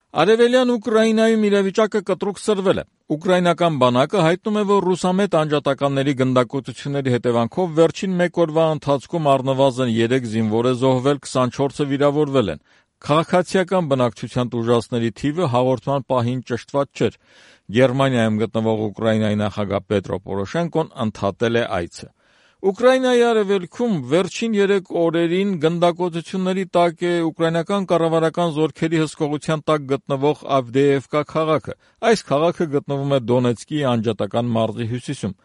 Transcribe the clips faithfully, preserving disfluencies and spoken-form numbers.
Արևելյան Ուկրաինայում իրավիճակը կտրուկ սրվել է։ Ուկրաինական բանակը հայտնում է, որ ռուսամետ անջատականների գնդակոծությունների հետևանքով վերջին մեկ օրվա ընթացքում առնվազն երեք զինվոր է զոհվել, քսանչորսը վիրավորվել են։ Քաղաքացիական բնակչության տուժածների թիվը հաղորդման պահին ճշտված չէր։ Գերմանիայում գտնվող Ուկրաինայի նախագահ Պետրո Պորոշենկոն ընդհատել է այցը։ Ուկրաինայի արևելքում վերջին երեք օրերին գնդակոծությունների տակ է ուկրաինական կառավարական զորքերի հսկողության տակ գտնվող Ավդեևկա քաղաքը։ Այս քաղաքը գտնվում է Դոնեցկի անջատական մարզի հյուսիսում։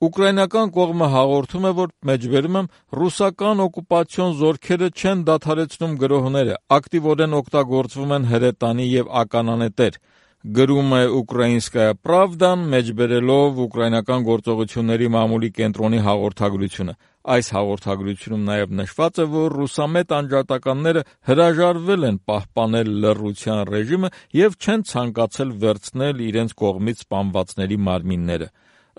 Ուկրաինական կողմը հաղորդում է, որ մեջբերում եմ ռուսական օկուպացիոն զորքերը չեն դադարեցնում գրոհները, ակտիվորեն օգտագործվում են հրետանի և ականանետեր։ Գրում է Ուկրաինսկայա Պրավդան, մեջբերելով ուկրաինական գործողությունների մամուլի կենտրոնի հաղորդագրությունը։ Այս հաղորդագրությունում նաև նշված է, որ ռուսամետ անջատականները հրաժարվել են պահպանել լռության ռեժիմը և չեն ցանկացել վերցնել իրենց կողմից սպանվածների մարմինները։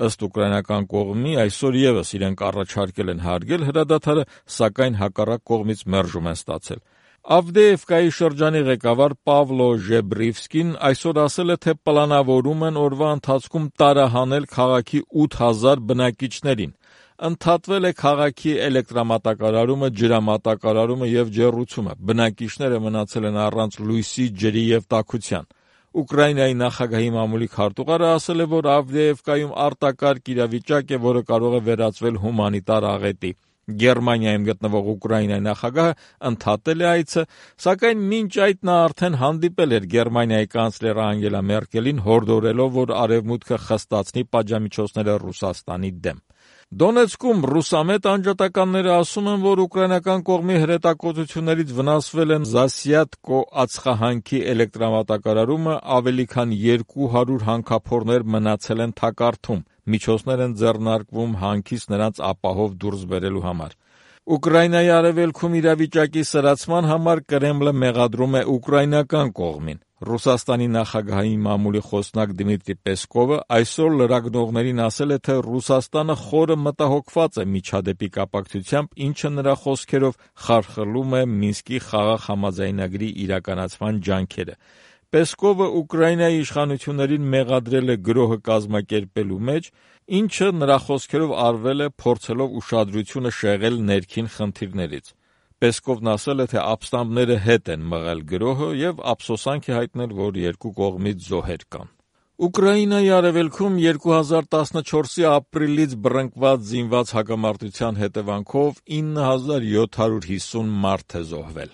Ըստ ուկրաինական կողմի, այսօր ևս իրենք առաջարկել են հարգել հրադադարը, սակայն հակառակ կողմից մերժում են ստացել։ Ավդեևկայի շրջանի ղեկավար Պավլո Ժեբրիվսկին այսօր ասել է, թե պլանավորում են օրվա ընթացքում տարահանել քաղաքի ութ հազար բնակիչներին։ Ընդհատվել է քաղաքի էլեկտրամատակարարումը, ջրամատակարարումը և ջեռուցումը։ Բնակիչները մնացել են առանց լույսի, ջրի և տաքության։ Ուկրաինայի նախագահի մամուլի քարտուղարը ասել է, որ Ավդեևկայում արտակարգ իրավիճակ է, որը կարող է վերածվել հումանիտար աղետի։ Գերմանիայում գտնվող Ուկրաինայի նախագահը ընդհատել է այցը, սակայն մինչ այդ նա արդեն հանդիպել էր Գերմանիայի կանցլեր Անգելա Մերկելին, հորդորելով, որ Արևմուտքը խստացնի պատժամիջոցները Ռուսաստանի դեմ։ Դոնեցկում ռուսամետ անջատականները ասում են, որ ուկրաինական կողմի հրետակոծություններից վնասվել են Զասյատկո ածխահանքի էլեկտրամատակարարումը, ավելի քան երկու հարյուր հանքափորներ մնացել են թակարդում, միջոցներ են ձեռնարկվում հանքից նրանց ապահով դուրս բերելու համար։ Ուկրաինայի արևելքում իրավիճակի սրացման համար Կրեմլը մեղադրում է ուկրաինական կողմին։ Ռուսաստանի նախագահի մամուլի խոսնակ Դմիտրի Պեսկովը այսօր լրագրողներին ասել է, թե Ռուսաստանը խորը մտահոգված է միջադեպի կապակցությամբ, ինչը նրա խոսքերով խարխլում է Մինսկի խաղաղ համաձայնագրի իրականացման ջանքերը։ Պեսկովը Ուկրաինայի իշխանություններին մեղադրել է գրոհը կազմակերպելու մեջ, ինչը նրա խոսքերով արվել է փորձելով ուշադրությունը շեղել ներքին խնդիրներից։ Պեսկովն ասել է, թե ապստամբները հետ են մղել գրոհը և ափսոսանք է հայտնել, որ երկու կողմից զոհեր կան։ Ուկրաինայի արևելքում երկու հազար տասնչորսի ապրիլից բռնկված զինված հակամարտության հետևանքով ինը հազար յոթ հարյուր հիսուն մարդ է զոհվել։